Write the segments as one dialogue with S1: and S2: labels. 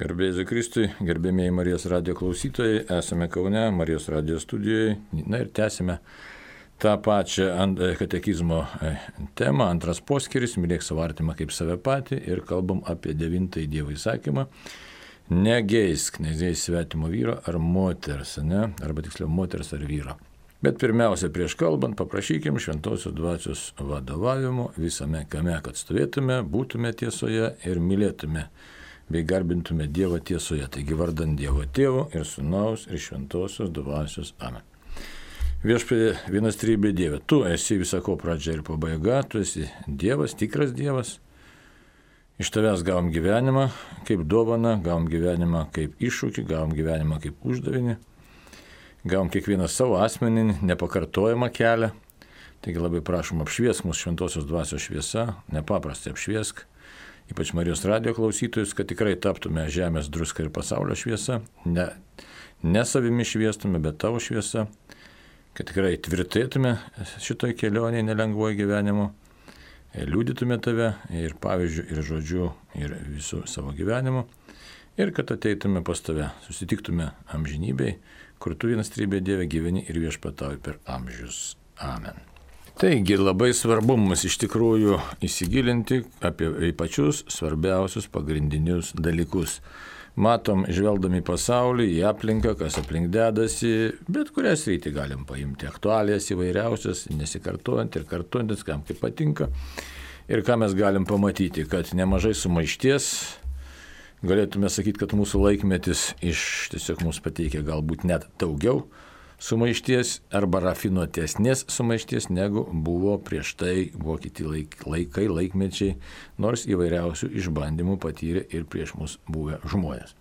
S1: Garbė Jėzui Kristui, gerbėmėjai Marijos radijo klausytojai, esame Kaune, Marijos radijo studijoje, na ir tęsime tą pačią katekizmo temą, antras poskyris, mylėk savo artimą kaip save patį ir kalbam apie 9 Dievo įsakymą, negeisk svetimo vyro ar moters, arba tiksliau moters ar vyro. Bet pirmiausia, prieš kalbant, paprašykim šventosios dvasios vadovavimo visame kame, kad stovėtume, būtume tiesoje ir mylėtume bei garbintume Dievą tiesoje, taigi vardant Dievo Tėvo ir Sūnaus ir šventosios dvasios. Amen. Viešpatie vienas trybė Dieve, tu esi visako pradžia ir pabaiga, tu esi Dievas, tikras Dievas. Iš tavęs gavom gyvenimą kaip dovaną, gavom gyvenimą kaip iššūkį, gavom gyvenimą kaip uždavinį, gavom kiekvieną savo asmeninį, nepakartojamą kelią. Taigi labai prašom apšviesk mūsų šventosios dvasios šviesa, nepaprastai apšviesk, ypač Marijos radijo klausytojus, kad tikrai taptume žemės druska ir pasaulio šviesa, ne savimi šviestume, bet tavo šviesa, kad tikrai tvirtėtume šitoj kelionėje nelengvoje gyvenimo, liudytume tave ir pavyzdžių, ir žodžių, ir visų savo gyvenimo, ir kad ateitume pas tave, susitiktume amžinybėj, kur tu vienas trybė Dieve gyveni ir viešpatauji per amžius. Amen. Taigi labai svarbu mums iš tikrųjų įsigilinti apie pačius svarbiausius pagrindinius dalykus. Matom, žvelgdami pasaulį, į aplinką, kas aplink dedasi, bet kurią sritį galim paimti. Aktualijas įvairiausias, nesikartojant ir kartojantis, kam kaip patinka. Ir ką mes galim pamatyti, kad nemažai sumaišties, galėtume sakyti, kad mūsų laikmetis tiesiog mums pateikia galbūt net daugiau sumaišties arba rafinuotesnės sumaišties, negu buvo prieš tai, buvo kiti laikmečiai, nors įvairiausių išbandymų patyrė ir prieš mus buvę žmonės.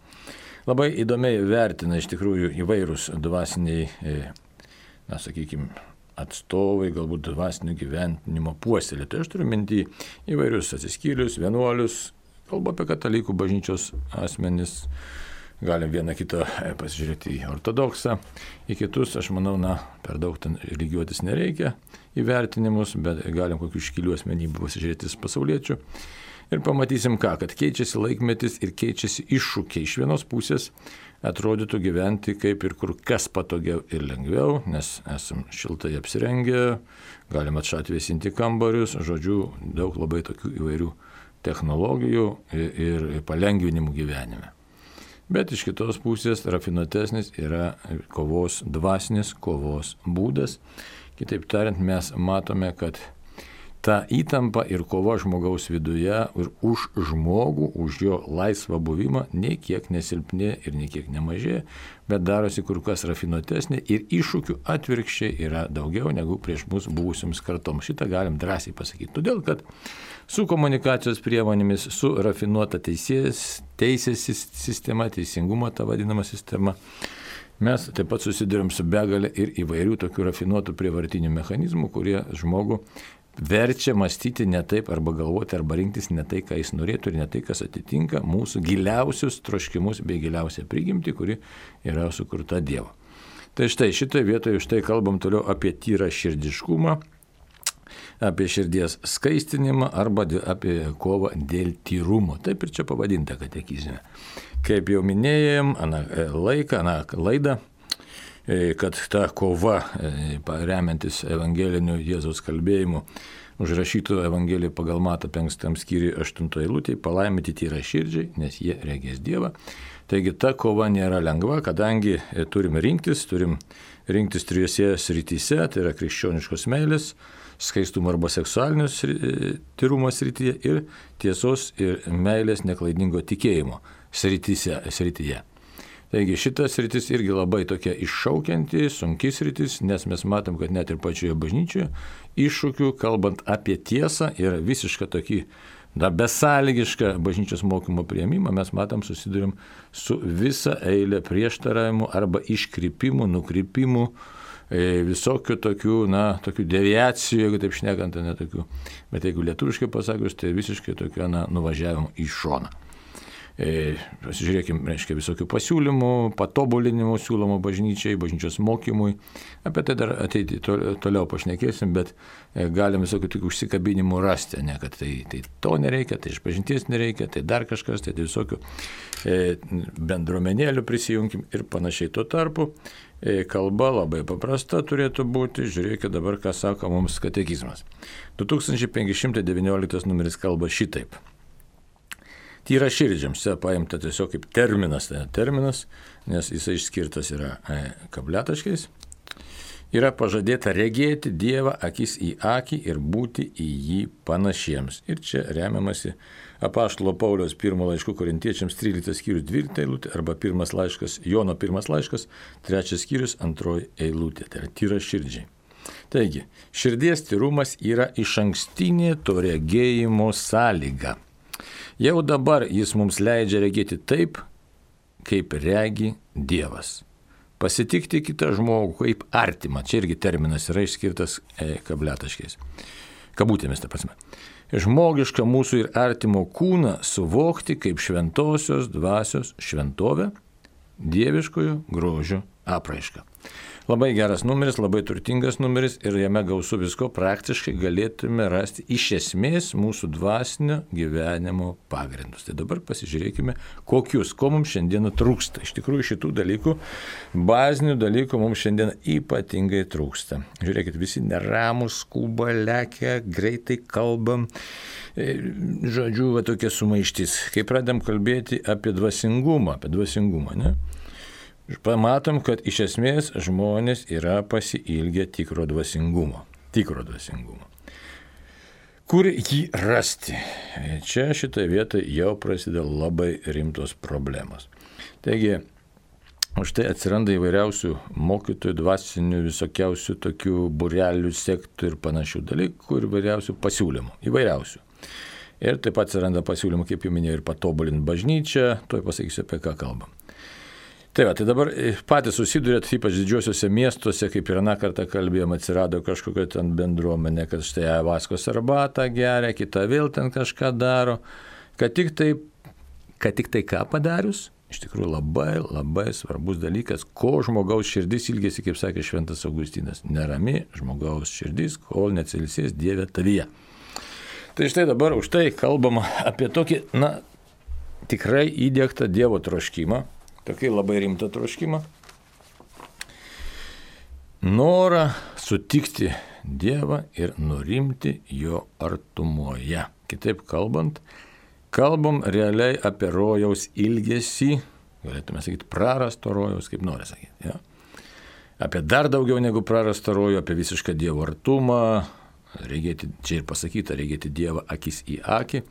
S1: Labai įdomiai vertina iš tikrųjų įvairūs dvasiniai, atstovai, galbūt dvasinio gyvenimo puoselėtojai. Aš turiu minty įvairius atsiskyrius, vienuolius, kalbu apie katalikų bažnyčios asmenis. Galim vieną kitą pasižiūrėti į ortodoksą, į kitus, aš manau, per daug ten lygiuotis nereikia įvertinimus, bet galim kokių iškilių asmenybių pasižiūrėti pasauliečių. Ir pamatysim kad keičiasi laikmetis ir keičiasi iššūkiai. Iš vienos pusės atrodytų gyventi kaip ir kur kas patogiau ir lengviau, nes esam šiltai apsirengę, galim atšat vėsinti kambarius, žodžiu, daug labai tokių įvairių technologijų ir palengvinimų gyvenime. Bet iš kitos pusės rafinuotesnis yra dvasinės kovos būdas. Kitaip tariant, mes matome, kad ta įtampa ir kova žmogaus viduje ir už žmogų, už jo laisvą buvimą nei kiek nesilpnė ir nei kiek nemažėja, bet darosi kur kas rafinuotesnė ir iššūkių atvirkščiai yra daugiau negu prieš mus buvusioms kartoms. Šitą galim drąsiai pasakyti. Todėl, kad su komunikacijos priemonėmis, su rafinuota teisės sistema, teisingumo ta vadinama sistema, mes taip pat susidurėm su begalė ir įvairių tokių rafinuotų prievartinių mechanizmų, kurie žmogų verčia mąstyti ne taip arba galvoti arba rinktis ne tai, ką jis norėtų ir ne tai, kas atitinka mūsų giliausius troškimus bei giliausią prigimtį, kuri yra sukurta Dievo. Tai štai šitoje vietoje kalbam toliau apie tyrą širdiškumą, apie širdies skaistinimą arba apie kovą dėl tyrumo. Taip ir čia pavadinta katekizme. Kaip jau minėjom, aną laidą, kad ta kova, remiantis evangeliniu Jėzaus kalbėjimu, užrašytų Evangeliją pagal Matą 5 skyriui 8 eilutėje, palaiminti tyra širdžiai, nes jie regės Dievą. Taigi ta kova nėra lengva, kadangi turim rinktis 3 srityse, tai yra krikščioniškos meilės, skaistumo arba seksualinio tyrumo srityje ir tiesos ir meilės neklaidingo tikėjimo srityje. Taigi šitas sritis irgi labai tokia iššaukianti, sunki sritis, nes mes matom, kad net ir pačioje bažnyčioje iššūkių, kalbant apie tiesą ir visišką tokį besąlygišką bažnyčios mokymo priėmimą, mes matom susidurėm su visa eilė prieštaravimų arba iškrypimų, nukrypimų, visokių tokių deviacijų, jeigu taip šnekant, ne tokių, bet jeigu lietuviškai pasakius, tai visiškai tokių nuvažiavimų į šoną. Pasižiūrėkime, reiškia, visokių pasiūlymų, patobulinimų siūlomų bažnyčiai, bažnyčios mokymui. Apie tai dar ateiti toliau pašnekėsim, bet galim visokių tik užsikabinimų rasti, ne, kad tai to nereikia, tai išpažinties nereikia, tai dar kažkas, tai visokių bendruomenėlių prisijungim ir panašiai. Tuo tarpu kalba labai paprasta turėtų būti. Žiūrėkite dabar, ką sako mums katekizmas. 2519 numeris kalba šitaip. Tyra širdžiams, čia paimta tiesiog kaip terminas, nes jisai išskirtas yra kabletaškais. Yra pažadėta regėti Dievą akis į akį ir būti į jį panašiems. Ir čia remiamasi apaštalo Pauliaus 1 laiškų Korintiečiams 13 skyrius 12 eilutė arba Jono 1 laiškas 3 skyrius 2 eilutė. Tai yra tyra širdžiai. Taigi, širdies tyrumas yra išankstinė to regėjimo sąlyga. Jau dabar jis mums leidžia regėti taip, kaip regi Dievas. Pasitikti kitą žmogų kaip artimą. Čia irgi terminas yra išskirtas kabletaškiais. Kabutėmis, ta prasme. Žmogišką mūsų ir artimo kūną suvokti kaip šventosios dvasios šventovę, dieviškojo grožio apraišką. Labai geras numeris, labai turtingas numeris ir jame gausu visko, praktiškai galėtume rasti iš esmės mūsų dvasinio gyvenimo pagrindus. Tai dabar pasižiūrėkime, ko mums šiandieną trūksta. Iš tikrųjų šitų dalykų, bazinių dalykų mums šiandien ypatingai trūksta. Žiūrėkit, visi neramus, skuba, lekia, greitai kalbam. Žodžiu, tokia sumaištis. Kai pradedam kalbėti apie dvasingumą, ne? Pamatom, kad iš esmės žmonės yra pasiilgę tikro dvasingumo. Kur jį rasti? Čia šitoje vietoje jau prasideda labai rimtos problemos. Taigi, už tai atsiranda įvairiausių mokytojų, dvasinių, visokiausių tokių burelių, sektų ir panašių dalykų ir įvairiausių pasiūlymų. Ir taip pat atsiranda pasiūlymų, kaip jau minėjau, ir patobulinti bažnyčią, tuoj pasakysiu, apie ką kalbam. Tai dabar patys susidurėt, ypač didžiuosiuose miestuose, kaip ir aną kartą kalbėjom, atsirado kažkokia ten bendruomenė, kad štai vaskos arbatą geria, kita vėl ten kažką daro, kad tik tai ką padarius, iš tikrųjų labai svarbus dalykas, ko žmogaus širdis ilgėsi, kaip sakė Šventas Augustinas, nerami žmogaus širdis, kol neatsiilsės Dieve tavyje. Tai štai dabar už tai kalbama apie tokį, tikrai įdiegtą Dievo troškimą, tokį labai rimtą troškimą, norą sutikti Dievą ir nurimti jo artumoje. Kitaip kalbam realiai apie rojaus ilgesį, galėtume sakyti prarasto rojaus, kaip nori sakyti. Ja? Apie dar daugiau negu prarasto rojų, apie visišką Dievo artumą, regėti, čia ir pasakyta, regėti Dievą akis į akį.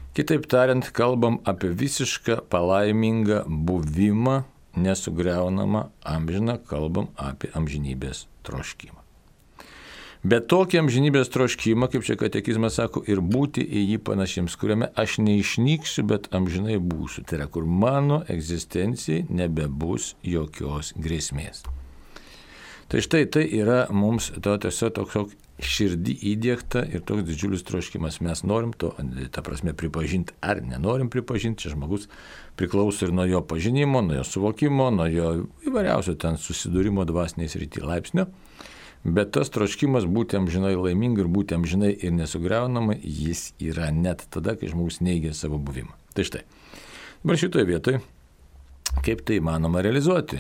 S1: Kitaip tariant, kalbam apie visišką palaimingą buvimą, nesugriaunamą amžiną, kalbam apie amžinybės troškimą. Bet tokį amžinybės troškimą, kaip čia katekizmas sako, ir būti į jį panašiems, kuriame aš neišnyksiu, bet amžinai būsiu. Tai yra, kur mano egzistencijai nebebus jokios grėsmės. Tai štai tai yra mums tiesiog toks širdį įdiegta ir toks didžiulis troškimas. Mes norim to, ta prasme, pripažinti ar nenorim pripažinti. Čia žmogus priklauso ir nuo jo pažinimo, nuo jo suvokimo, nuo jo įvairiausio ten susidūrimo dvasiniais rytį laipsnio. Bet tas troškimas būti amžinai laimingai ir būti amžinai ir nesugriaunamai, jis yra net tada, kai žmogus neigia savo buvimą. Tai štai. Dabar šitoje vietoje, kaip tai įmanoma realizuoti?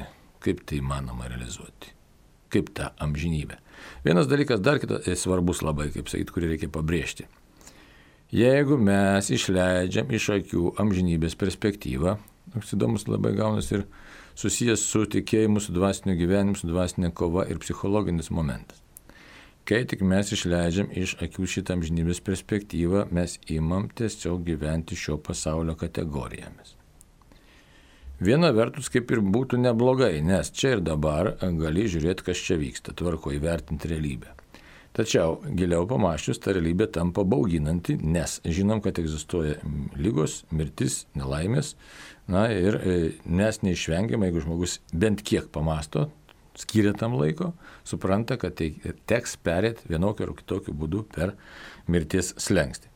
S1: Kaip ta amžinybė? Vienas dalykas, dar kitas svarbus labai, kaip sakyti, kurį reikia pabrėžti. Jeigu mes išleidžiam iš akių amžinybės perspektyvą, toks įdomus labai gaunas ir susijęs su tikėjimu, su dvasiniu gyvenimu, su dvasinė kova ir psichologinis momentas. Kai tik mes išleidžiam iš akių šitą amžinybės perspektyvą, mes imam tiesiog gyventi šio pasaulio kategorijomis. Viena vertus kaip ir būtų neblogai, nes čia ir dabar gali žiūrėti, kas čia vyksta, tvarko įvertinti realybę. Tačiau giliau pamąsčius, ta realybė tampa bauginanti, nes žinom, kad egzistuoja ligos, mirtis, nelaimės, ir nes neišvengiama, jeigu žmogus bent kiek pamasto, skiria tam laiko, supranta, kad tai teks perėti vienokiu ar kitokiu būdu per mirties slenkstį.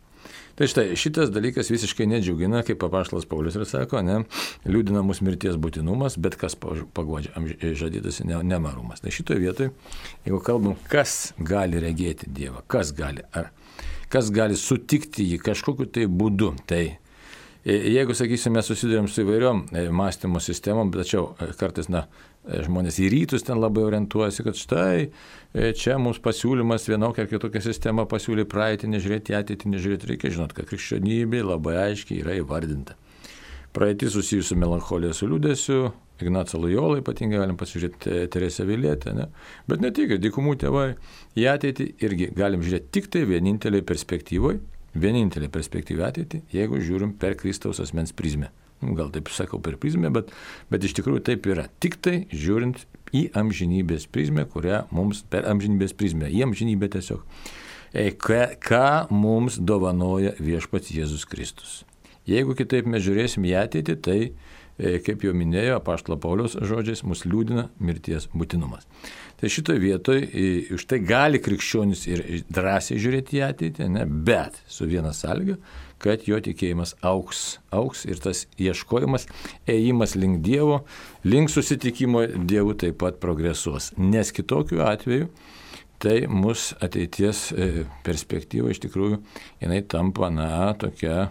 S1: Tai štai, šitas dalykas visiškai nedžiugina, kaip apaštalas Paulius ir sako, ne, liūdina mūsų mirties būtinumas, bet kas paguodžia žadytasi nemarumas. Tai šitoje vietoje, jeigu kalbam, kas gali regėti Dievą, kas gali sutikti jį kažkokiu tai būdu, tai jeigu, sakysime, susidurėm su įvairiom mąstymo sistemom, tačiau kartais, žmonės į rytus ten labai orientuojasi, kad štai čia mums pasiūlymas vienokia ar kitokia sistema pasiūlė praeitį, nežiūrėti ateitį, nežiūrėti. Reikia žinot, kad krikščionybė labai aiškiai yra įvardinta. Praeitį susijusi su melancholija, su liūdėsiu, Ignacą Lojolą ypatingai galim pasižiūrėti, Teresę Avilietę, ne? Bet ne tik, dykumų tėvai, į ateitį irgi galim žiūrėti tik tai vienintelė perspektyva ateitį, jeigu žiūrim per Kristaus asmens prizmę. Gal taip sakau per prizmę, bet iš tikrųjų taip yra. Tik tai žiūrint į amžinybės prizmę, kurią mums per amžinybės prizmę, į amžinybę tiesiog, ką mums dovanoja viešpats Jėzus Kristus. Jeigu kitaip mes žiūrėsim į ateitį, tai, kaip jau minėjo apaštalo Pauliaus žodžiais, mus liūdina mirties būtinumas. Tai šitoje vietoje už tai gali krikščionis ir drąsiai žiūrėti į ateitį, ne? Bet su viena sąlyga, kad jo tikėjimas auks ir tas ieškojimas, ėjimas link Dievo, link susitikimo Dievu taip pat progresuos. Nes kitokiu atveju tai mūsų ateities perspektyva iš tikrųjų jinai tampa, tokia,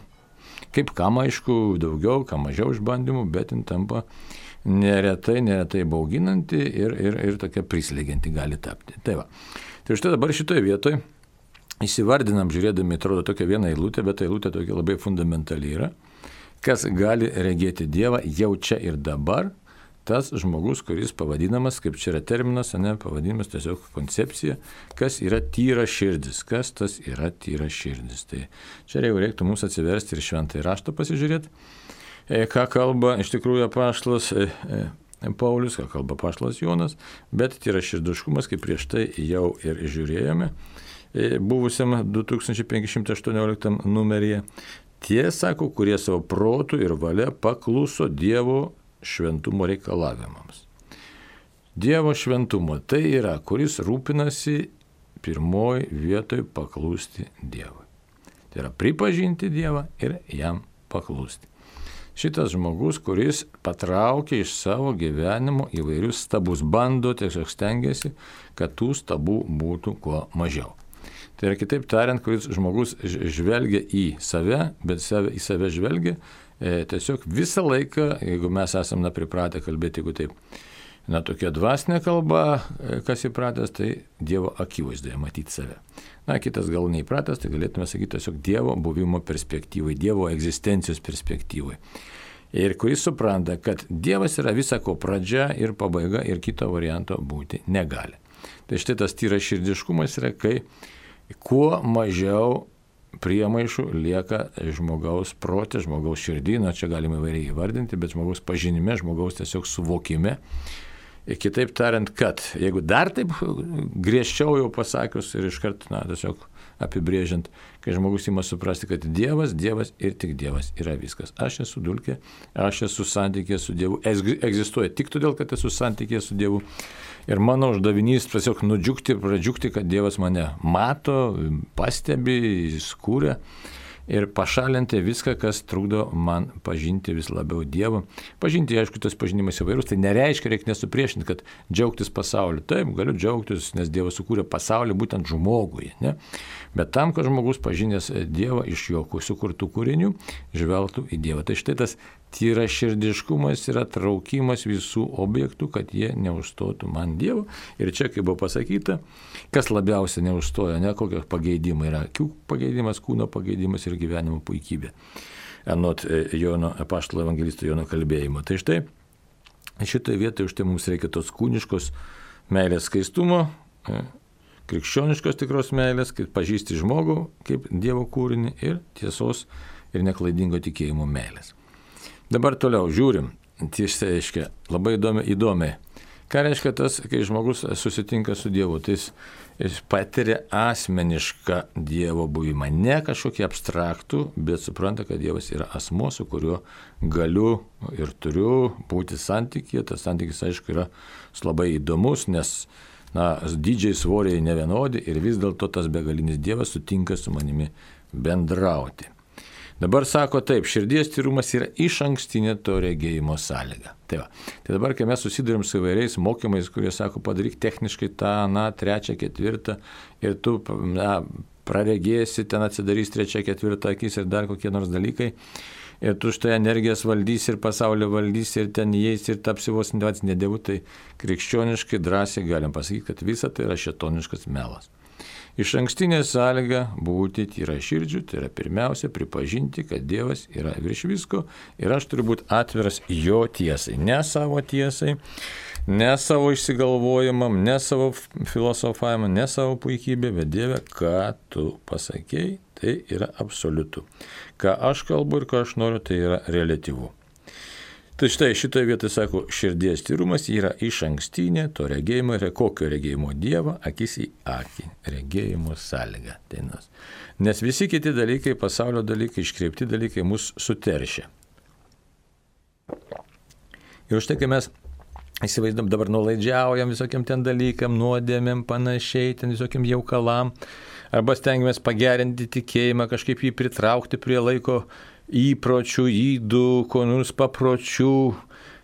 S1: kaip kam aišku, daugiau, kam mažiau išbandymų, bet jin tampa neretai bauginanti ir tokia prislegianti gali tapti. Tai va. Tai štai dabar šitoje vietoje įsivardinam, žiūrėdami, atrodo tokia viena eilutė, bet ta eilutė tokia labai fundamentali yra. Kas gali regėti Dievą jau čia ir dabar, tas žmogus, kuris pavadinamas, kaip čia yra terminas, pavadinimas tiesiog koncepcija, kas yra tyra širdis. Kas tas yra tyra širdis. Tai čia jau reiktų mums atsiversti ir šventąjį raštą pasižiūrėti. Ką kalba iš tikrųjų apaštalas Paulius, ką kalba apaštalas Jonas, bet tyraširdiškumas, kaip prieš tai jau ir žiūrėjome, buvusiam 2518 numeryje, tie, sako, kurie savo protų ir valia pakluso Dievo šventumo reikalavimams. Dievo šventumo tai yra, kuris rūpinasi pirmoji vietoj paklusti Dievui. Tai yra pripažinti Dievą ir jam paklusti. Šitas žmogus, kuris patraukia iš savo gyvenimo įvairius stabus, bando, tiesiog stengiasi, kad tų stabų būtų kuo mažiau. Tai yra kitaip tariant, kuris žmogus žvelgia į save, bet į save žvelgia tiesiog visą laiką, jeigu mes esame pripratę kalbėti, jeigu taip, tokia dvasinė kalba, kas įpratęs, tai Dievo akivaizdoje matyti save. Kitas gal neįpratęs, tai galėtume sakyti tiesiog Dievo buvimo perspektyvai, Dievo egzistencijos perspektyvai. Ir kuris supranta, kad Dievas yra visako pradžia ir pabaiga ir kito varianto būti negali. Tai štai tas tyras širdiškumas yra, kai kuo mažiau priemaišų lieka žmogaus protė, žmogaus širdį, čia galime įvairiai įvardinti, bet žmogaus pažinime, žmogaus tiesiog suvokime. Ir kitaip tariant, kad jeigu dar taip griežčiau jau pasakius ir iškart, tiesiog apibrėžiant, kai žmogus ima suprasti, kad Dievas ir tik Dievas yra viskas. Aš esu dulkė, aš esu santykėje su Dievu, egzistuoja tik todėl, kad esu santykėje su Dievu. Ir mano uždavinys tiesiog pradžiugti, kad Dievas mane mato, pastebi, jis kūrė. Ir pašalinti viską, kas trukdo man pažinti vis labiau Dievą. Pažinti, aišku, tas pažinimas įvairūs, tai nereiškia, reikia nesupriešinti, kad džiaugtis pasauliu. Taip, galiu džiaugtis, nes Dievas sukūrė pasaulį būtent žmogui. Ne? Bet tam, kad žmogus pažinęs Dievą iš jo sukurtų kūrinių, žvelgtų į Dievą. Tai štai tas tyraširdiškumas yra traukimas visų objektų, kad jie neužstotų man Dievo. Ir čia, kaip buvo pasakyta, kas labiausiai neužstoja, kokie pageidimai yra. Akių pageidimas, kūno pageidimas ir gyvenimo puikybė. Anot Jono, apaštalo evangelisto Jono kalbėjimo. Tai štai, šitoje vietoje už tai mums reikia tos kūniškos meilės skaistumo, krikščioniškos tikros meilės, kaip pažįsti žmogų kaip Dievo kūrinį ir tiesos ir neklaidingo tikėjimo meilės. Dabar toliau žiūrim, tiesiai reiškia, labai įdomiai. Ką reiškia tas, kai žmogus susitinka su Dievu, tai jis patiria asmenišką Dievo buvimą, ne kažkokį abstraktų, bet supranta, kad Dievas yra asmuo, su kuriuo galiu ir turiu būti santykyje. Tas santykis, aišku, yra labai įdomus, nes dydžiai svoriai nevienodi ir vis dėlto tas begalinis Dievas sutinka su manimi bendrauti. Dabar sako taip, širdies tyrumas yra išankstinė to regėjimo sąlyga. Tai dabar, kai mes susidurim su įvairiais mokymais, kurie sako, padaryk techniškai tą, trečią, ketvirtą ir tu praregėsi, ten atsidarys trečią, ketvirtą akis ir dar kokie nors dalykai. Ir tu štai energijas valdysi ir pasaulio valdysi ir ten įeisi ir tapsi vos ne dievu, tai krikščioniškai drąsiai galim pasakyti, kad visa tai yra šėtoniškas melas. Išankstinė sąlyga būti tyra širdžių, tai yra pirmiausia pripažinti, kad Dievas yra virš visko ir aš turiu būti atviras jo tiesai, ne savo tiesai, ne savo išsigalvojimam, ne savo filosofavimam, ne savo puikybė, bet Dieve, ką tu pasakėjai, tai yra absoliutu. Ką aš kalbu ir ką aš noriu, tai yra reliatyvu. Tai štai šitoje vietoje sako, širdies tyrumas yra išankstinė to regėjimo ir kokio regėjimo Dievo akis į akį, regėjimo sąlyga. Nes visi kiti dalykai, pasaulio dalykai, iškreipti dalykai mus suteršia. Ir už tai, kai mes įsivaizduom, dabar nuolaidžiaujam visokiam ten dalykam, nuodėmėm, panašiai, ten visokiam jaukalam, arba stengiamės pagerinti tikėjimą, kažkaip jį pritraukti prie laiko įpročių, ydų, ko nors papročių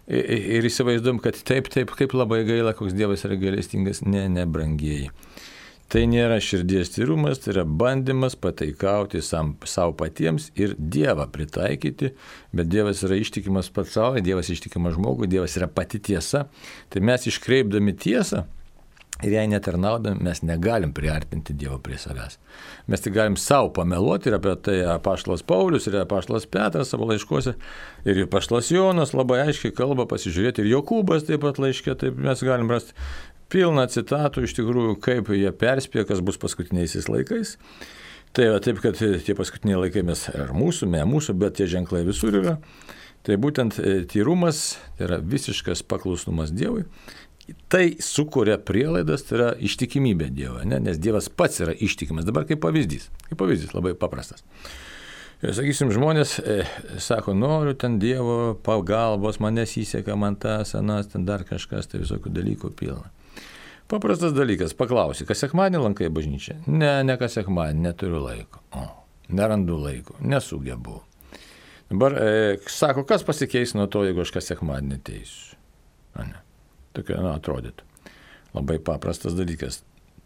S1: ir įsivaizduom, kad taip, kaip labai gaila, koks Dievas yra gailestingas, ne, brangieji. Tai nėra širdies tyrumas, tai yra bandymas pataikauti savo patiems ir Dievą pritaikyti, bet Dievas yra ištikimas pats savo, Dievas ištikimas žmogui, Dievas yra pati tiesa. Tai mes iškreipdami tiesą ir jei netarnaudami, mes negalim priartinti Dievo prie savęs. Mes tik galim savo pameluoti ir apie tai apaštalas Paulius ir apaštalas Petras savo laiškuose ir apaštalas Jonas labai aiškiai kalba, pasižiūrėti ir Jokūbas taip pat laiške, taip mes galim rasti pilną citatų iš tikrųjų, kaip jie perspėja, kas bus paskutiniaisiais laikais. Tai taip, kad tie paskutiniai laikai mes ir mūsų, ne mūsų, bet tie ženklai visur yra. Tai būtent tyrumas, tai yra visiškas paklusnumas Dievui. Tai sukuria prielaidas, tai yra ištikimybė Dievo, nes Dievas pats yra ištikimas. Dabar kaip pavyzdys labai paprastas. Ir sakysim, žmonės sako, noriu ten Dievo pagalbos, man nesiseka, man tas, anas, ten dar kažkas, tai visokių dalykų pilna. Paprastas dalykas, paklausi, kas sekmadienį lankai bažnyčią? Ne, kas sekmadienį, neturiu laiko. Nerandu laiko, nesugebu. Dabar sako, kas pasikeis nuo to, jeigu aš kas sekmadienį ateisiu? Ne. Tokia, atrodytų. Labai paprastas dalykas.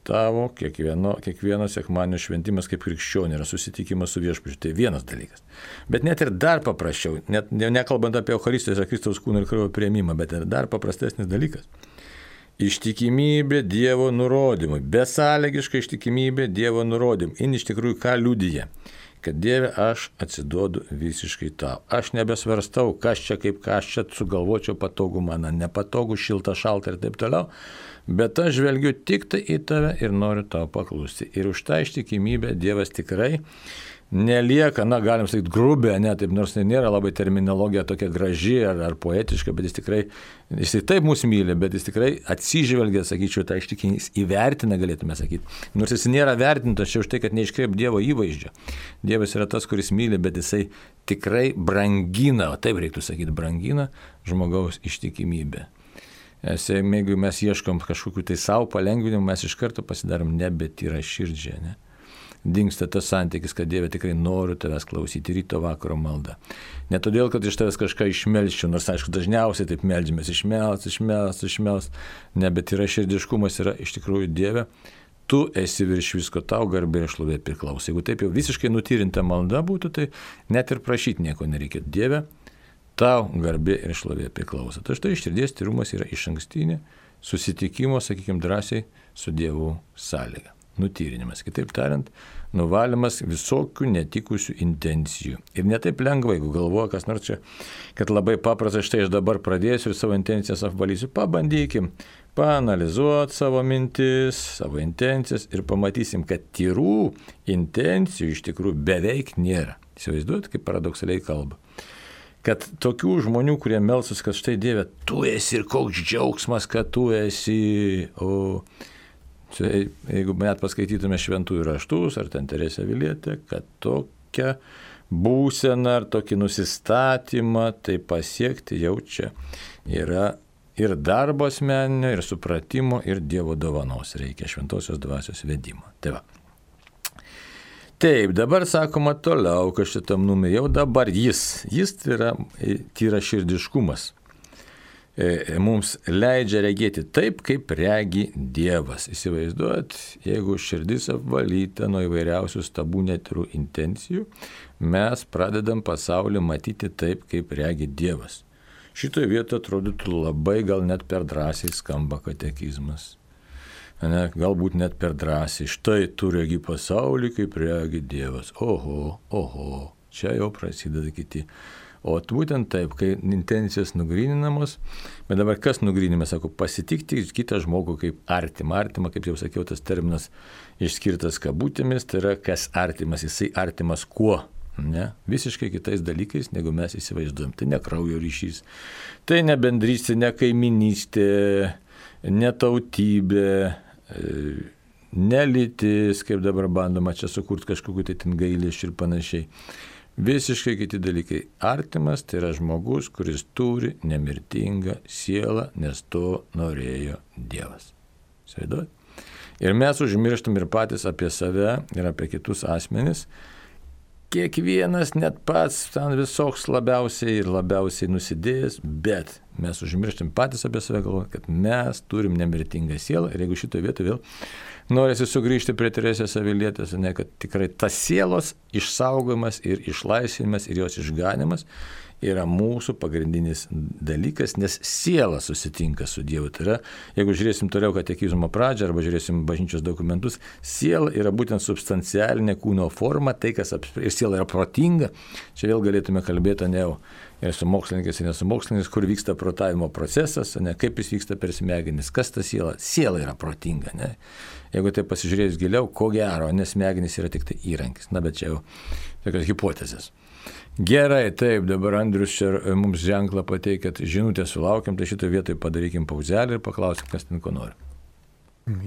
S1: Tavo kiekvieno sekmadienio šventimas kaip krikščionio yra susitikimas su viešpačiu. Tai vienas dalykas. Bet net ir dar paprasčiau, net nekalbant apie Eucharistijos ir Kristaus kūno ir kraujo priėmimą, bet ir dar paprastesnis dalykas. Ištikimybė Dievo nurodymui. Besąlygiška ištikimybė Dievo nurodymui. Ir iš tikrųjų ką liudija? Kad Dieve, aš atsiduodu visiškai tau. Aš nebesvarstau, kas čia sugalvočiau patogu man, nepatogu, šilta, šalta ir taip toliau, bet aš žvelgiu tik tai į tave ir noriu tau paklusti. Ir už tą ištikimybę Dievas tikrai nelieka, galim sakyti, grubė, taip, nors nėra labai terminologija tokia graži ar poetiška, bet jis taip mus myli, bet jis tikrai atsižvelgia, sakyčiau, tą ištikimybę, jis įvertina, galėtume sakyti. Nors jis nėra vertintas čia už tai, kad neiškreip Dievo įvaizdžio. Dievas yra tas, kuris myli, bet jisai tikrai brangina, taip reiktų sakyti, brangina žmogaus ištikimybę. Jeigu mes ieškom kažkokiu tai savo palengvinimų, mes iš karto pasidarom nebetyra širdžiai, ne? Dingsta tas santykis, kad Dieve tikrai noriu tavęs klausyti ryto vakaro maldą. Ne todėl, kad iš tavęs kažką išmelščiau, nors aišku dažniausiai taip meldžiamės, išmelst, ne, bet yra širdiškumas, yra iš tikrųjų Dieve, tu esi virš visko, tau garbė ir šlovė priklauso. Jeigu taip jau visiškai nutyrinta malda būtų, tai net ir prašyti nieko nereikėtų. Dieve, tau garbė ir šlovė priklauso. Tai štai širdies tyrumas yra išankstinė susitikimo, sakykime, drąsiai su Dievu sąlyga. Nutyrinimas, kitaip tariant, nuvalymas visokių netikusių intencijų. Ir netaip lengva, jeigu galvoja, kas nors čia, kad labai paprasta, štai aš dabar pradėsiu ir savo intencijas apvalysiu. Pabandykim paanalizuoti savo mintis, savo intencijas ir pamatysim, kad tyrų intencijų iš tikrųjų beveik nėra. Įsivaizduojat, kaip paradoksaliai kalba. Kad tokių žmonių, kurie melsis, kad štai Dieve, tu esi ir koks džiaugsmas, kad tu esi, jeigu net paskaitytume šventųjų raštus, ar ten Teresė Avilietė, kad tokia būsena ar tokį nusistatymą tai pasiekti jau čia yra ir darbo asmeninio, ir supratimo, ir Dievo dovanos. Reikia šventosios dvasios vedimo. Tai va. Taip, dabar sakoma toliau, kad šitam numerį jau dabar jis tai yra tyraširdiškumas. Mums leidžia regėti taip, kaip regi Dievas. Įsivaizduojat, jeigu širdis apvalyta nuo įvairiausių stabų netirų intencijų, mes pradedam pasaulį matyti taip, kaip regi Dievas. Šitoje vietoje atrodytų labai gal net per drąsiai skamba katekizmas. Ne, galbūt net per drąsiai. Štai tu regi pasaulį, kaip regi Dievas. Oho, čia jau prasideda kiti. O būtent taip, kai intencijos nugryninamos, bet dabar kas nugryninimas, sako, pasitikti kitą žmogų kaip artimą. Artimą, kaip jau sakiau, tas terminas išskirtas kabutėmis, tai yra kas artimas, jisai artimas kuo? Ne? Visiškai kitais dalykais, negu mes įsivaizduojam. Tai ne kraujo ryšys, tai ne bendrystė, ne kaiminystė, ne tautybė, ne lytis, kaip dabar bandoma čia sukurti kažkokiu tai ten gailesčiu ir panašiai. Visiškai kiti dalykai. Artimas tai yra žmogus, kuris turi nemirtingą sielą, nes to norėjo Dievas. Sveiduot? Ir mes užmirštam ir patys apie save ir apie kitus asmenis. Kiekvienas net pats ten visoks labiausiai nusidėjęs, bet mes užmirštam patys apie save, galvojant, kad mes turim nemirtingą sielą ir jeigu šitoje vietoje vėl norisi sugrįžti prie Teresės Avilietės, ne, kad tikrai tas sielos išsaugojimas ir išlaisvinimas ir jos išganimas yra mūsų pagrindinis dalykas, nes siela susitinka su Dievu. Tai yra, jeigu žiūrėsim toliau katekizmo pradžią arba žiūrėsim bažnyčios dokumentus, siela yra būtent substancialinė kūno forma, tai kas ir siela yra protinga. Čia vėl galėtume kalbėti ne jau ir su mokslininkais, ir ne su mokslininkais, kur vyksta protavimo procesas, ne, kaip jis vyksta per smegenis, kas ta siela. Siela yra protinga. Ne. Jeigu tai pasižiūrėjus giliau, ko gero, nes smegenys yra tik tai įrankis. Na, bet čia jau tokios hipotezės. Gerai, taip, dabar Andrius čia mums ženklą pateikėt, žinutę sulaukiam, tai šitoje vietoje padarykim pauzelį ir paklausim, kas ten ko nori.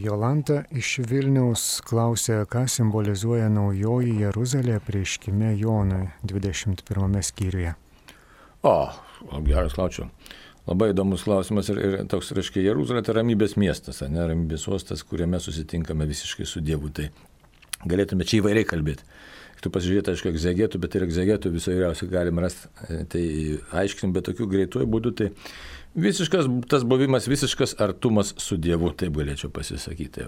S2: Jolanta iš Vilniaus klausė, ką simbolizuoja naujoji Jeruzalė apreiškime Jonui 21 skyriuje.
S1: Geras klausimas. Labai įdomus klausimas ir toks, reiškia, Jeruzalė tai ramybės miestas, ne, ramybės uostas, kuriame susitinkame visiškai su Dievu. Tai galėtume čia įvairiai kalbėti. Tu pasižiūrėti, aišku, egzegetų, bet ir egzegetų viso įvairiausių galim rasti, tai aiškinim, bet tokių greituoju būdu, tai visiškas tas buvimas, visiškas artumas su Dievu, taip galėčiau pasisakyti.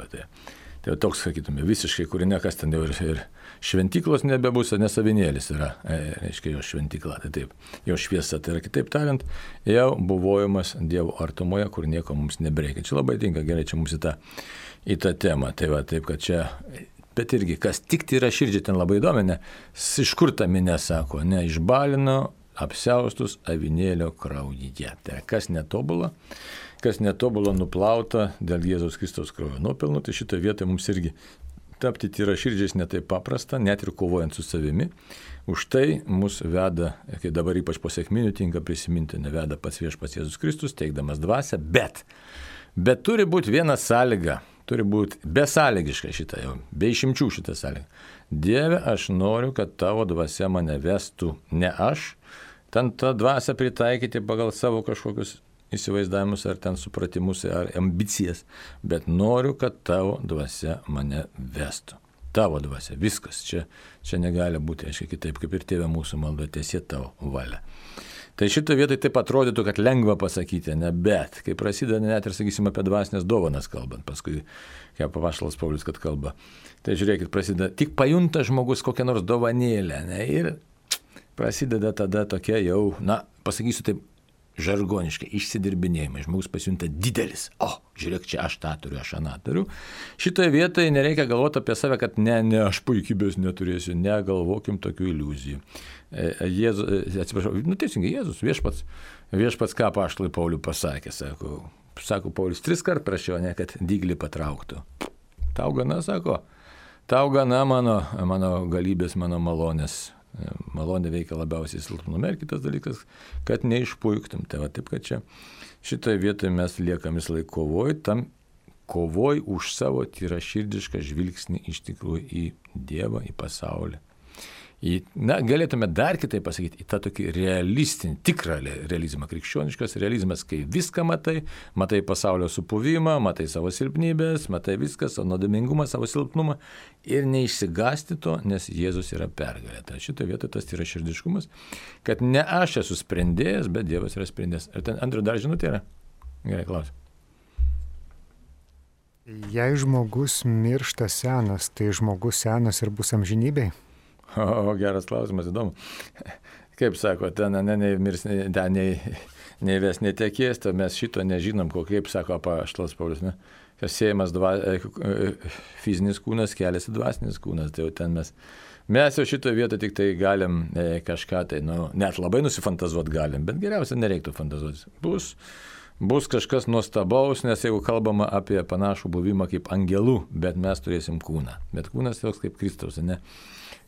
S1: Tai toks, sakytume, visiškai, kur nekas ten jau ir šventyklos nebebus, nes avinėlis yra, reiškia, jo šventykla, tai taip, jo šviesa, tai yra kitaip tariant, jau buvojimas Dievo artumoje, kur nieko mums nebreikia. Čia labai tinka, gerai, čia mums į tą temą, tai va, taip, kad čia... Bet irgi, kas tik yra širdžiai ten labai įdomi, iš kur ta minė sako, ne, išbalino apsiaustus avinėlio kraujyje. Tai kas netobula nuplauta dėl Jėzaus Kristaus kraujo nuopelnų, tai šitoje vietoje mums irgi tapti tyra širdžiais netaip paprasta, net ir kovojant su savimi. Už tai mus veda, kai dabar ypač po sekminių tinka prisiminti, neveda pats viešpats Jėzus Kristus, teikdamas dvasią, bet turi būti viena sąlyga. Turi būti besąlygiška šitą jau, be išimčių šitą sąlygą. Dieve, aš noriu, kad tavo dvasia mane vestų, ne aš, ten tą dvasią pritaikyti pagal savo kažkokius įsivaizdavimus ar ten supratimus ar ambicijas, bet noriu, kad tavo dvasia mane vestų. Tavo dvasia, viskas, čia negali būti, aiškiai, kitaip, kaip ir Tėve mūsų malda, tiesie tavo valia. Tai šito vietoj taip atrodytų, kad lengva pasakyti, ne, bet kai prasideda net ir, sakysim, apie dvasinės dovanas kalbant, paskui, kaip apaštalas Paulius, kad kalba, tai žiūrėkit, prasideda, tik pajunta žmogus kokią nors dovanėlę, ne, ir prasideda tada tokia jau, na, pasakysiu taip, žargoniškai, išsidirbinėjimai, žmogus pasijunta didelis, žiūrėk, čia aš tą turiu, aš aną turiu. Šitoje vietoje nereikia galvoti apie save, kad ne, aš puikybės neturėsiu, negalvokim tokių iliuzijų. Teisingai, Jėzus, viešpats ką apaštalui Pauliui pasakė, sako Paulius 3 kart prašiau, ne, kad dyglį patrauktų. Tau gana, sako, tau gana mano galybės, mano malonės. Malonė veikia labiausiai silpnume ir kitas dalykas, kad neišpuiktum. Tai va taip, kad čia šitoje vietoje mes liekam vis laik kovoj už savo tyraširdišką žvilgsnį iš tikrųjų į Dievą, į pasaulį, Galėtume dar kitaip pasakyti, į tą tokį realistinį, tikrą realizmą, krikščioniškas realizmas, kai viską matai pasaulio supuvimą, matai savo silpnybės, matai viską, savo nuodėmingumą, savo silpnumą ir neišsigąsti to, nes Jėzus yra pergalė. Tai šitoje vietoje tas yra širdiškumas, kad ne aš esu sprendėjas, bet Dievas yra sprendėjas. Ir ten Andriu dar žinutė yra? Gerai, klausim.
S2: Jei žmogus miršta senas, tai žmogus senas ir bus amžinybėj?
S1: O, geras klausimas, įdomu. Kaip sako, ten neįmirs, nei ves netekės, tai mes šito nežinom, kaip sako apaštalas Paulius, ne? Kas siejamas fizinis kūnas, keliasi dvasinis kūnas, tai jau ten mes jau šitoje vietoje tik tai galim kažką tai, net labai nusifantazuoti galim, bet geriausia nereiktų fantazuoti. Bus kažkas nuostabaus, nes jeigu kalbama apie panašų buvimą kaip angelų, bet mes turėsim kūną. Bet kūnas toks kaip Kristaus, ne?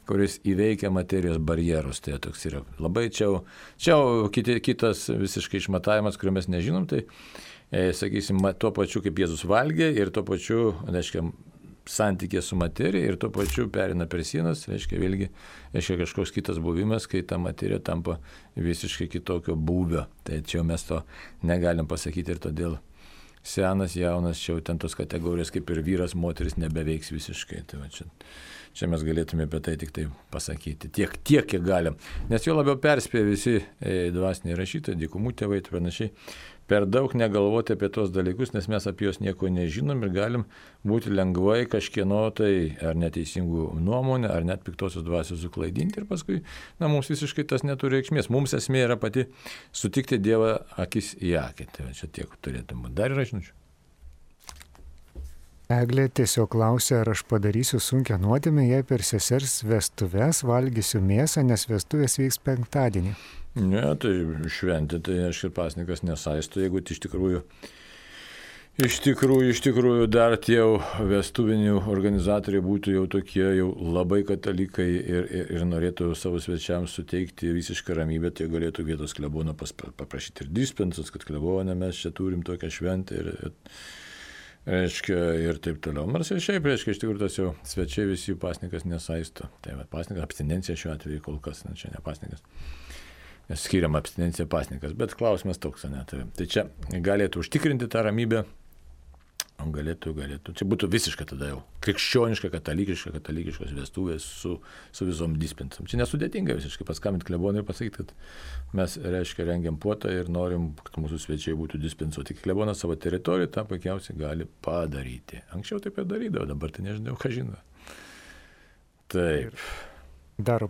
S1: Kuris įveikia materijos barjerus. Tai toks yra labai čia kitas visiškai išmatavimas, kurio mes nežinom, tai sakysim, tuo pačiu kaip Jėzus valgė ir tuo pačiu, reiškia, santykė su materija ir tuo pačiu perina per sienas, reiškia kažkoks kitas buvimas, kai ta materija tampa visiškai kitokio būvio. Tai čia mes to negalim pasakyti ir todėl senas, jaunas, čia ten tos kategorijos kaip ir vyras, moteris nebeveiks visiškai. Tai čia mes galėtume apie tai tik tai pasakyti. Tiek, kiek galim. Nes jo labiau perspėja visi dvasiniai rašytojai, dykumų tėvai ir panašiai. Per daug negalvoti apie tos dalykus, nes mes apie juos nieko nežinom ir galim būti lengvai kažkieno tai ar neteisingų nuomonę, ar net piktosios dvasios suklaidinti ir paskui, mums visiškai tas neturi reikšmės. Mums esmė yra pati sutikti Dievą akis į akį. Tai čia tiek turėtum būti. Dar yra žinučių.
S2: Eglė tiesiog klausė, ar aš padarysiu sunkią nuodėmę, jei per sesers vestuves valgysiu mėsą, nes vestuvės vyks penktadienį.
S1: Ne, tai šventė, tai aš ir pasnikas nesaisto, jeigu iš tikrųjų dar tie vestuvinių organizatoriai būtų jau tokie jau labai katalikai ir norėtų savo svečiams suteikti visišką ramybę, tai galėtų vietos klebono paprašyti ir dispensus, kad klebone mes čia turim tokią šventę ir taip toliau. Nors ir šiaip, iš tikrųjų, tas jau svečiai visi pasnikas nesaisto. Tai pasnikas, abstinencija šiuo atveju kol kas, čia ne pasnikas. Nes skiriam abstinenciją pasnikas, bet klausimas toks, ne. Tai čia galėtų užtikrinti tą ramybę, galėtų. Čia būtų visiškai tada jau krikščioniška, katalikiškos vestuvės su visom dispensam. Čia nesudėtinga visiškai paskambinti klebonui ir pasakyti, kad mes, rengiam puotą ir norim, kad mūsų svečiai būtų dispensuoti. Klebonas savo teritoriją tą puikiausiai gali padaryti. Anksčiau taip ir darydavo, dabar tai nežinau, ką žino. Taip.
S2: Dar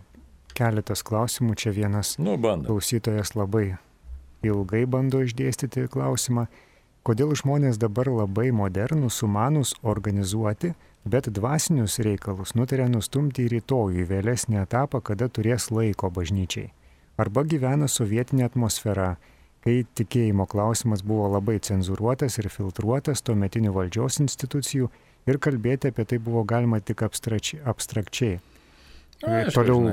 S2: keletas klausimų. Čia vienas klausytojas labai ilgai bando išdėstyti klausimą. Kodėl žmonės dabar labai modernūs, sumanūs organizuoti, bet dvasinius reikalus nutarė nustumti į rytojų, į vėlesnį etapą, kada turės laiko bažnyčiai? Arba gyvena sovietinė atmosfera, kai tikėjimo klausimas buvo labai cenzūruotas ir filtruotas tuometinių valdžios institucijų ir kalbėti apie tai buvo galima tik abstrakčiai. Toliau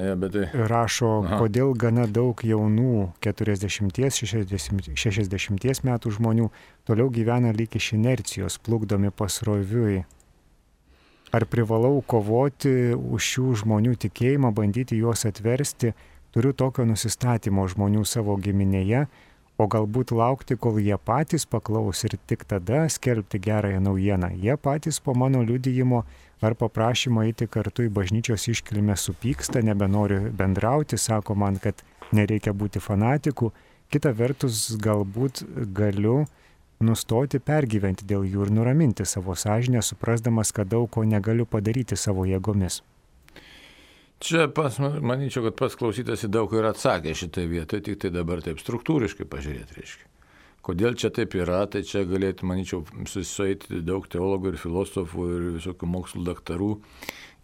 S2: rašo, kodėl gana daug jaunų 40-60 metų žmonių toliau gyvena lyg iš inercijos, plukdomi pasroviui. Ar privalau kovoti už šių žmonių tikėjimą, bandyti juos atversti, turiu tokio nusistatymo žmonių savo giminėje, o galbūt laukti, kol jie patys paklaus ir tik tada skelbti gerąją naujieną. Jie patys po mano liudijimo ar paprašymo eiti kartu į bažnyčios iškilmę supyksta, nebenori bendrauti, sako man, kad nereikia būti fanatiku. Kita vertus, galbūt galiu nustoti pergyventi dėl jų ir nuraminti savo sąžinę, suprasdamas, kad daug ko negaliu padaryti savo jėgomis.
S1: Čia manyčiau, kad pats klausytas į daug ir atsakė šitai vietoje, tik tai dabar taip struktūriškai pažiūrėti reiškia. Kodėl čia taip yra, tai čia galėtų, manyčiau, susieiti daug teologų ir filosofų ir visokių mokslų daktarų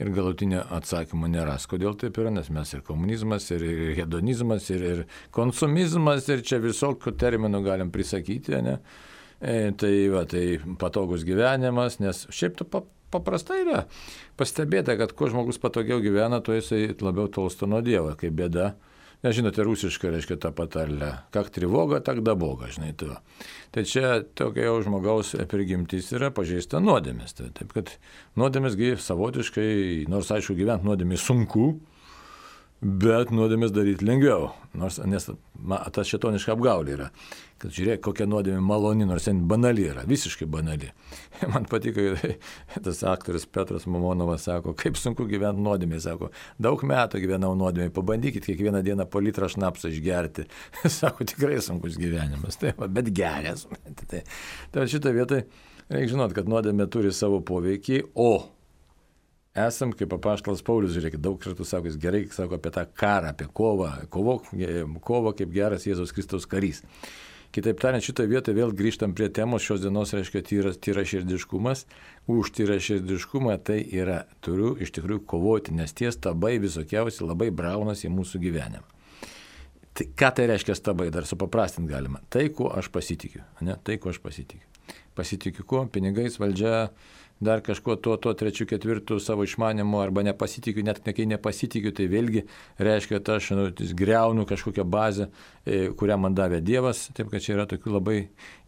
S1: ir galutinio atsakymo neras. Kodėl taip yra, nes mes ir komunizmas, ir hedonizmas, ir konsumizmas, ir čia visokių terminų galim prisakyti, ne? Tai patogus gyvenimas, nes šiaip to paprastai yra pastebėta, kad kuo žmogus patogiau gyvena, tuo jisai labiau tolsta nuo Dievo, kaip bėda. Nežinote, rusiškai reiškia tą patarlę, kak trivoga, tak daboga, žinai tu. Tai čia tokia jau žmogaus prigimtis yra pažeista nuodėmės. Taip kad nuodėmės savotiškai, nors aišku gyventi nuodėmės sunku, Bet nuodėmės daryti lengviau, nes tas šėtoniška apgaulė yra. Kad žiūrėk, kokia nuodėmė maloni, nors ten banali yra, visiškai banali. Man patiko, tas aktorius Petras Mamonovas sako, kaip sunku gyventi nuodėmė, sako, daug metų gyvenau nuodėmė, pabandykit kiekvieną dieną po litrą šnapsą išgerti. Sako, tikrai sunkus gyvenimas, bet geras. Tai šitą vietą reikia žinot, kad nuodėmė turi savo poveikį, o esam, kaip apaštalas Paulius, žiūrėkit, daug kartų sako, jis gerai sako apie tą karą, apie kovą kaip geras Jėzaus Kristaus karys. Kitaip tariant, šitoje vietoje vėl grįžtam prie temos šios dienos, reiškia tyraširdiškumas. Už tyraširdiškumą tai yra, turiu iš tikrųjų kovoti, nes tie stabai visokiausi labai braunasi į mūsų gyvenimą. Tai, ką tai reiškia stabai, dar supaprastinti galima. Tai, kuo aš pasitikiu. Ne? Tai, kuo aš pasitikiu. Pasitikiu kuo? Pinigais, valdžia, dar kažkuo tuo trečiu, ketvirtu savo išmanimu, arba nepasitikiu, net kai nepasitikiu, tai vėlgi reiškia, kad aš griaunu kažkokią bazę, kurią man davė Dievas, taip kad čia yra tokių labai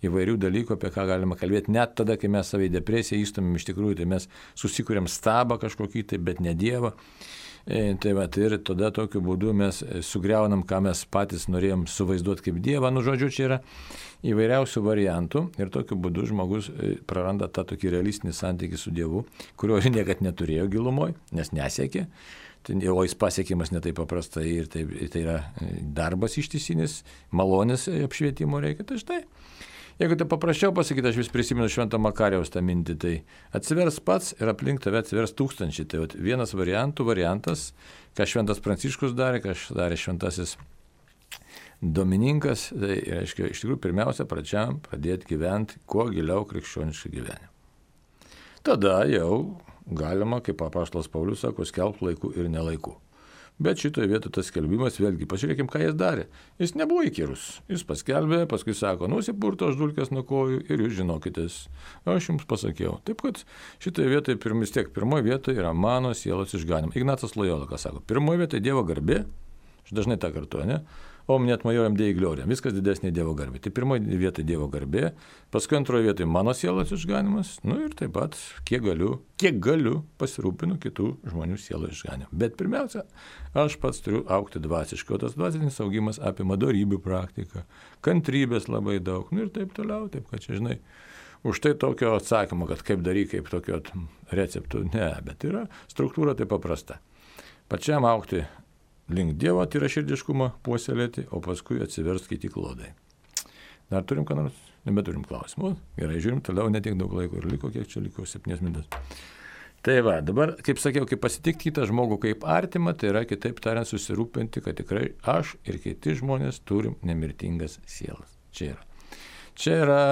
S1: įvairių dalykų, apie ką galima kalbėti, net tada, kai mes savai depresiją įstumėm iš tikrųjų, tai mes susikūrėm stabą kažkokį, tai, bet ne Dievą. Tai va, ir tada tokiu būdu mes sugriaunam, ką mes patys norėjom suvaizduoti kaip Dievą. Nu, žodžiu, čia yra įvairiausių variantų ir tokiu būdu žmogus praranda tą tokį realistinį santykį su Dievu, kurio niekad neturėjo gilumoje, nes nesiekė. O jis pasiekimas ne taip paprastai ir tai yra darbas ištisinis, malonės apšvietimo reikia. Tai štai. Jeigu tai paprasčiau pasakyti, aš vis prisimenu Švento Makarijaus tą mintį, tai atsivers pats ir aplink tave atsivers tūkstančiai. Tai vienas variantas, ką Šventas Pranciškus darė, ką darė Šventasis Domininkas, tai reiškia, iš tikrųjų, pirmiausia, pradžiam pradėti gyventi kuo giliau krikščionišką gyvenimą. Tada jau galima, kaip apaštalas Paulius sako, skelbti laiku ir nelaiku. Bet šitoje vietoje tas skelbimas, vėlgi, pažiūrėkim, ką jis darė. Jis nebuvo įkyrus. Jis paskelbė, paskui sako, nusipurto aš dulkes nuo kojų ir jūs žinokitės. Aš jums pasakiau. Taip, kad šitoje vietoje pirmoje vietoje yra mano sielos išganymas. Ignacas Lojola, ką sako, pirmoje vietoje Dievo garbė, aš dažnai tą kartuoju, ne? O net majoriam Dei Gloria, viskas didesnė Dievo garbė. Tai pirmoje vietoje Dievo garbė, paskui antroje vietoje mano sielos išganimas, nu ir taip pat, kiek galiu, pasirūpinu kitų žmonių sielos išganimu. Bet pirmiausia, aš pats turiu augti dvasiškai, o tas dvasinis augimas apima dorybių praktiką, kantrybės labai daug, nu ir taip toliau, taip kad čia, žinai, už tai tokio atsakymo, kad kaip daryk, kaip tokio receptų, ne, bet yra struktūra tai paprasta. Pačiam augti link Dievo tyraširdiškumą puoselėti, o paskui atsivers kiti klodai. Dar turim ką nors? Nebeturim klausimų. Gerai, žiūrim toliau, netiek daug laiko ir liko, kiek čia liko, 7 minutės. Tai va, dabar, kaip sakiau, kaip pasitikti kitą žmogų kaip artimą, tai yra, kitaip tariant, susirūpinti, kad tikrai aš ir kiti žmonės turim nemirtingas sielas. Čia yra,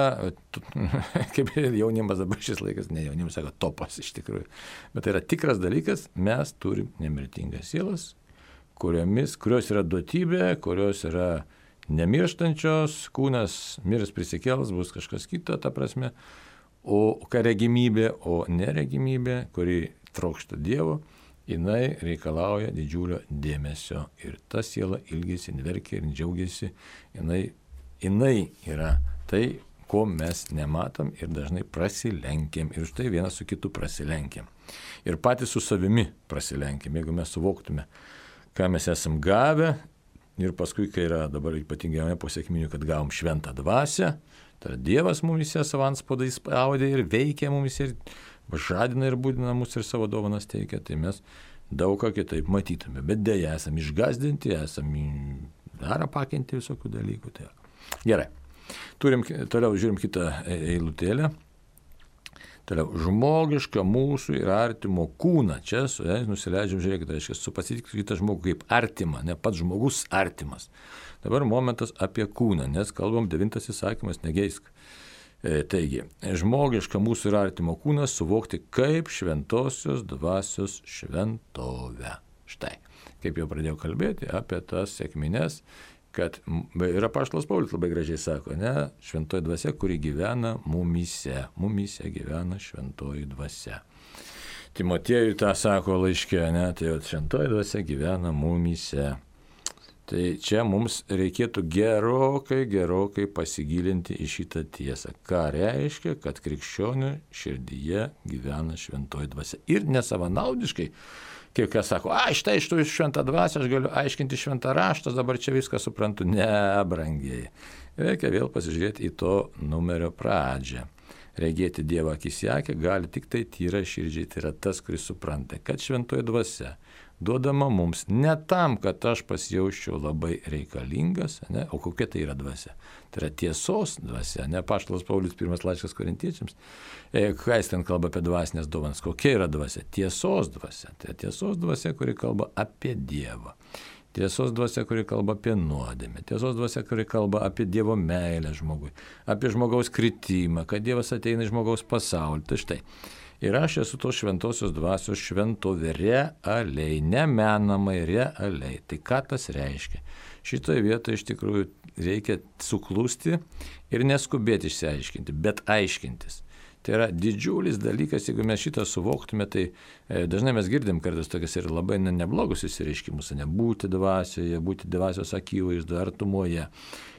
S1: kaip jaunimas dabar šis laikas, ne jaunimas sako, topas iš tikrųjų, bet tai yra tikras dalykas, mes turim nemirtingas sielas, kurios yra duotybė, kurios yra nemirštančios, kūnas mirs prisikels, bus kažkas kito, ta prasme, o ką regimybė, o neregimybė, kuri trokšta Dievo, jinai reikalauja didžiulio dėmesio ir ta siela ilgisi, verkia ir džiaugiasi, jinai yra tai, ko mes nematom ir dažnai prasilenkiam ir štai vienas su kitu prasilenkiam. Ir patys su savimi prasilenkiam, jeigu mes suvoktume, ką mes esam gavę ir paskui, kai yra dabar ypatingai po sekminių, kad gavom šventą dvasią, tai Dievas mumise savo antspaudai spaudė ir veikia mumise ir žadina ir būdina mus ir savo dovanas teikia, tai mes daug ką kitaip matytume, bet dėja esam išgazdinti, esam dar apakinti visokių dalykų. Tai gerai, toliau žiūrim kitą eilutėlę. Toliau, žmogišką mūsų ir artimo kūną. Čia nusileidžiam, žiūrėkit, reiškia, pasitikti kitą žmogų kaip artimą, ne pats žmogus artimas. Dabar momentas apie kūną, nes kalbam 9 įsakymas, negeisk. Taigi, žmogišką mūsų ir artimo kūną suvokti kaip šventosios dvasios šventovę. Štai, kaip jau pradėjau kalbėti apie tas sekmines, kad ir apaštalas Paulius labai gražiai sako, ne, šventoji dvasia, kuri gyvena mumyse gyvena šventoji dvasia. Timotiejui tą sako laiške, ne, tai šventoji dvasia gyvena mumyse. Tai čia mums reikėtų gerokai pasigilinti į šitą tiesą. Ką reiškia, kad krikščionių širdyje gyvena šventoji dvasia. Ir nesavanaudiškai Kaip kas sako, štai iš tų šventą dvasią aš galiu aiškinti šventą raštą, dabar čia viską suprantu. Ne, brangiai. Reikia vėl pasižiūrėti į to numerio pradžią. Regėti Dievą akis į akį gali tik tai tyra širdžiai, tai yra tas, kuris supranta, kad šventoji dvasia duodama mums ne tam, kad aš pasijausčiau labai reikalingas, ne? O kokia tai yra dvasia? Tai yra tiesos dvasia, ne Apaštalas Paulius pirmas laiškas Korintiečiams. Ką jis ten kalba apie dvasinės dovanas? Kokia yra dvasia? Tiesos dvasia. Tai tiesos dvasia, kuri kalba apie Dievą. Tiesos dvasia, kuri kalba apie nuodėmę. Tiesos dvasia, kuri kalba apie Dievo meilę žmogui. Apie žmogaus kritimą, kad Dievas ateina į žmogaus pasaulį. Tai štai. Ir aš esu tos šventosios dvasios šventovė realiai, nemenamai realiai. Tai ką tas reiškia? Šitoje vietoje iš tikrųjų reikia suklusti ir neskubėti išsiaiškinti, bet aiškintis. Tai yra didžiulis dalykas, jeigu mes šitą suvoktume, tai dažnai mes girdim kartais tokias ir labai neblogus įsireiškimus, būti dvasioje, būti dvasios akivaizdoje, artumoje.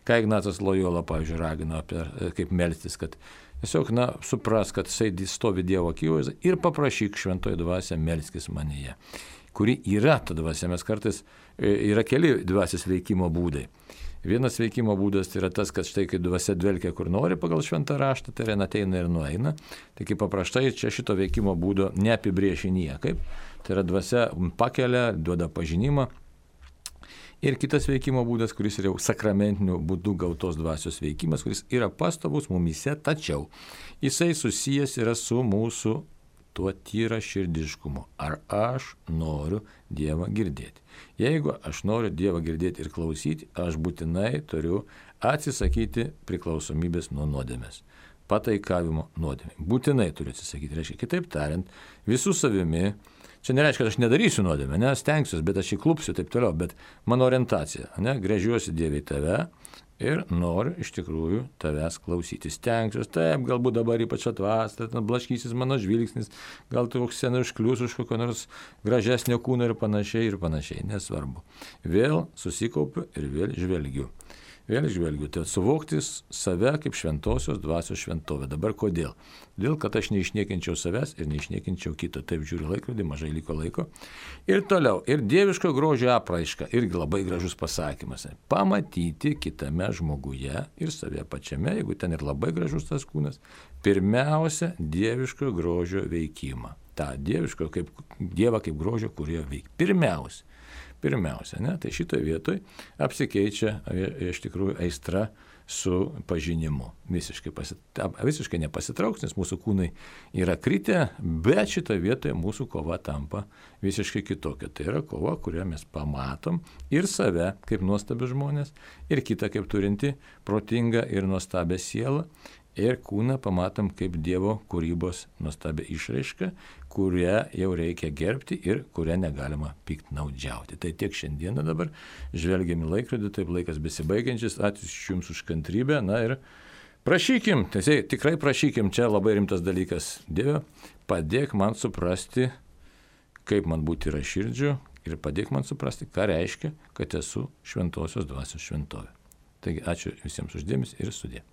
S1: Ką Ignacas Lojola, pavyzdžiui, ragino apie kaip melstis, kad tiesiog, supras, kad jisai stovi Dievo akivaizdoje ir paprašyk šventoji dvasia melskis manyje, kuri yra ta dvasia. Mes kartais yra keli dvasios veikimo būdai. Vienas veikimo būdas tai yra tas, kad štai kai dvasia dvelkia kur nori pagal šventą raštą, tai yra ateina ir nueina. Tai kaip paprastai čia šito veikimo būdo neapibrėši niekaip. Tai yra dvasia pakelia, duoda pažinimą. Ir kitas veikimo būdas, kuris yra jau sakramentiniu būdu gautos dvasios veikimas, kuris yra pastovus mumyse, tačiau jisai susijęs yra su mūsų tuo tyra širdiškumu. Ar aš noriu Dievą girdėti? Jeigu aš noriu Dievą girdėti ir klausyti, aš būtinai turiu atsisakyti priklausomybės nuo nuodėmės. Pataikavimo nuodėmė. Būtinai turiu atsisakyti. Reiškia, kitaip tariant, visų savimi. Čia nereiškia, kad aš nedarysiu nuodėmę, stengsiuosi, bet aš įklupsiu taip toliau, bet mano orientacija, gręžiuosi Dievui tave ir noriu iš tikrųjų tavęs klausyti. Stengsiuosi, taip, galbūt dabar ypač atvasta, blaškysis mano žvilgsnis, gal tu koks seniai užklius už kokio nors gražesnio kūno ir panašiai, nesvarbu. Vėl susikaupiu ir vėl žvelgiu. Tai suvokti save kaip šventosios dvasios šventovę. Dabar kodėl? Todėl, kad aš neišniekinčiau savęs ir neišniekinčiau kito. Taip žiūriu laikrodį, mažai liko laiko. Ir toliau, ir dieviško grožio apraiška, irgi labai gražus pasakymas. Pamatyti kitame žmoguje ir save pačiame, jeigu ten ir labai gražus tas kūnas, pirmiausia, dieviško grožio veikimą. Ta dieviško, kaip Dievą kaip grožio, kurie veikia. Pirmiausia, tai šitoje vietoje apsikeičia iš tikrųjų aistra su pažinimu. Visiškai nepasitrauks, nes mūsų kūnai yra kritę, bet šitoje vietoje mūsų kova tampa visiškai kitokia. Tai yra kova, kurią mes pamatom ir save kaip nuostabius žmonės, ir kitą kaip turinti protingą ir nuostabią sielą. Ir kūną pamatom kaip Dievo kūrybos nuostabią išraišką, kurią jau reikia gerbti ir kurią negalima piktnaudžiauti. Tai tiek šiandieną dabar. Žvelgiam į laikrodį, taip laikas besibaigiančias. Ačiū Jums už kantrybę. Ir prašykim, tikrai prašykim, čia labai rimtas dalykas. Dieve, padėk man suprasti, kaip man būti yra širdžiu ir padėk man suprasti, ką reiškia, kad esu šventosios dvasios šventovė. Taigi ačiū visiems už dėmesį ir sudie.